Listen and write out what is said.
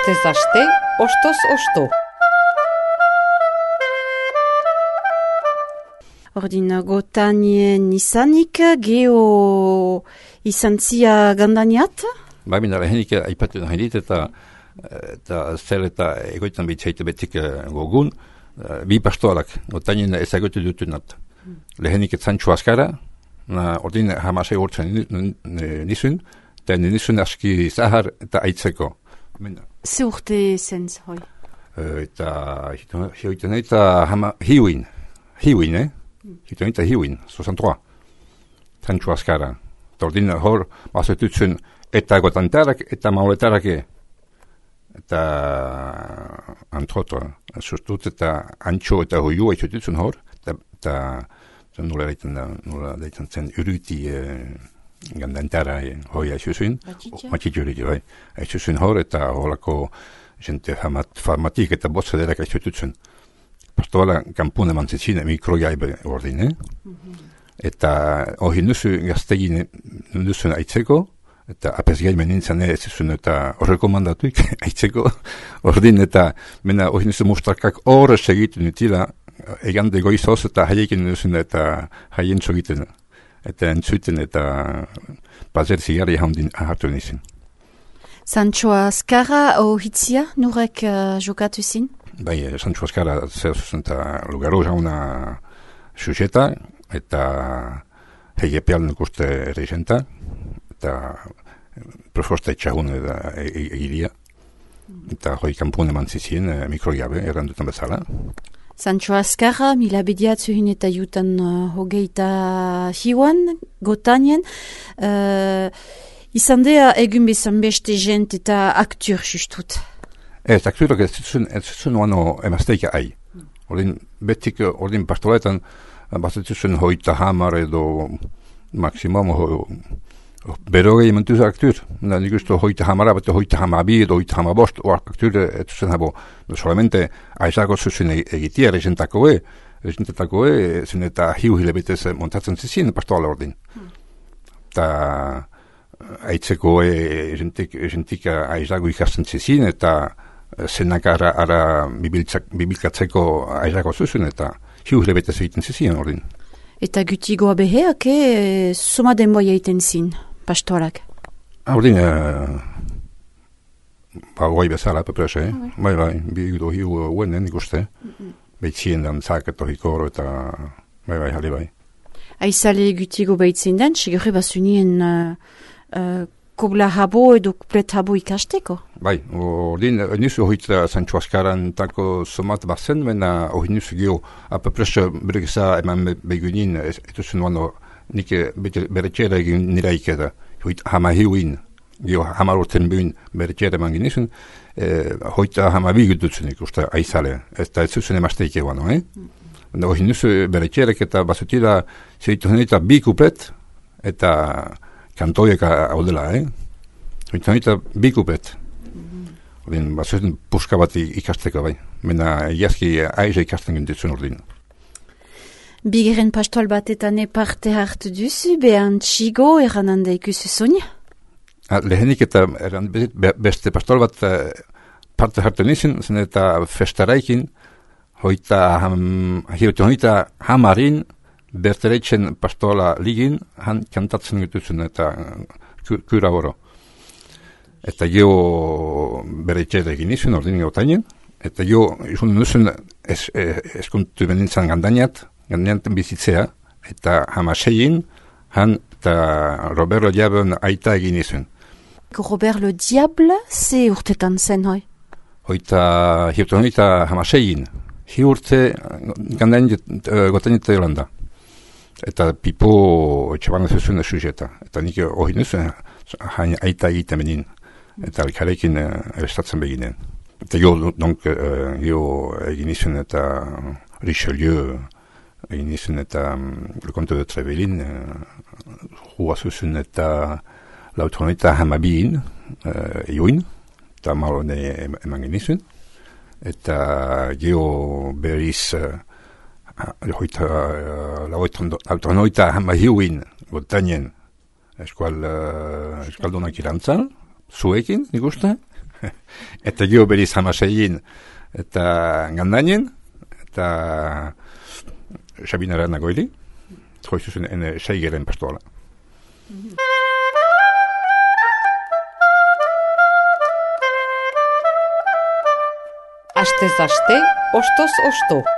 Astez aste, ostoz osto. Ordin gotanien izanik, geho izan zia gandaniat? Bai, mina lehenik aipatu nahi dit eta zer eta egoitan bitzaite betik gogun, bi pastoalak, gotanien ezagotu dutunat. Lehenik etzantxu askara, ordin hamasei urtzen nizun, eta nizun aski zahar eta aitzeko. Ze urte zenz, hoi? Eta hioiten eta hiuin, hioiten eta hiuin, 63, zantxu askara. Eta ordin hor, bazetutzen eta gotantarak eta mauletarak eta antroto, sustut eta antxo eta hoiu haitzututzen hor, eta nola deitzen zen uruti gandantara hoi haitzuzen, matxitxurik, haitzuzen hor, eta holako jente farmatik eta botzederak haitzututzen. Pastoala kampune mantzitsine mikrojaibe ordine, eta hori nuzu gaztegin nuzun aitzeko, eta apesgai menintzen ez zuen eta rekomandatuik aitzeko, ordin eta mena hori nuzu mustarkak horre segitu nutila, egande goizoz eta haiekin nuzun eta haien txogiten, eta entzuten eta bazer zigarri haundin hartu nizun. Sancho Azkarra hitzia nurek jokatu zin? Bai, Sancho Azkarra zer zuzun eta lugaro jauna sujeta, eta hegepeal nukuste regenta, eta profosta etxagun egiria, eta hoi kampune mantzizien mikrojabe errandutan bezala. Sancho Azkarra, mila bediatzuhin eta jutan hogeita hiuan, gotanien, izan dea egun bezan beste jent eta aktur justut. Ez, akturak ez zuen oano emazteika ai. Ordin, betik, ordin pastoletan, bazetzuzen hoita hamar edo maksimum berogei mentuz aktur. Nik usto hoita hamara, bete hoita hamabi edo hoita hamabost, aktur etzuzen habo, solamente aizako zuzen egitia regentakoe, zen eta hiu hilabetez montatzen zizien pastoala ordin. Eta aitzeko egentik aizago ikasten zizien, eta zenak ara bibilkatzeko aizako zuzen, eta hiu hilabetez egiten zizien ordin. Eta gutigoa beheak, soma denboia egiten zin, pastorak? Ordin, goi bezala, peprese, bai, bi hiu uenen ikuste, behitzien dan zaketo hikoro eta bai, jale bai. Aizale gutigo behitzen den, segure basunien kobla habo edo kuplet habo ikasteko? Bai, ordin, nizu hoita Sancho Azkaran tako somat bazen, mena hori nizu geho, apeprese beregisa eman begunin, etuzen wano, nike beretxera egin niraikeda, hama hiuin, geho hamar urten behin beretxera eman ginizun, hoita hama bigututzen ikusta aizale, eta ez zuzen emasteike wano, hori nizu beretxerek eta basutila zeitu eta bi kuplet, eta kantoiek haudela, Hoita bi kuplet. Ordin, bazuten puska bat ikasteko bai. Mena egiazki aiza ikasten gintitzen ordin. Bigeren pastoal batetan parte hartu duzu, behan txigo errananda ikusi sonia? Lehenik eta beste pastoal bat parte hartu nizin, zen eta festaraikin, hoita hamarin, bertereitzen pastoala ligin, han kantatzen gitutzen eta kura oro. Eta jo beretxera egin izun, ordin gautainen, eta jo izun nuzun eskuntu benintzen gandainaten bizitzea, eta hamasein, han eta Roberto Diablo aita egin izun. Roberto Diablo, ze urtetan zen hoi? Hoita hamasein, hi urte gotainete Holanda. Eta pipo etxaban zezuen sujeta. Eta nik hori nuzuen, hain aita egiten benin. Eta alkarekin erestatzen beginen. Eta jo egin izun eta Richelieu, egin izun eta Le Comte de Trevelin, hua zuzun eta lautronita hamabiin, join, eta malone eman genizun. Eta jo berriz lautronoita hamahiuin gotanien eskualdunak irantzan, zuekin, nik uste, eta gio beriz hamaseiin, eta gandainen, eta Sabinara nagoili, joizuzen ene seigeren pastoala. Astez aste, ostoz osto.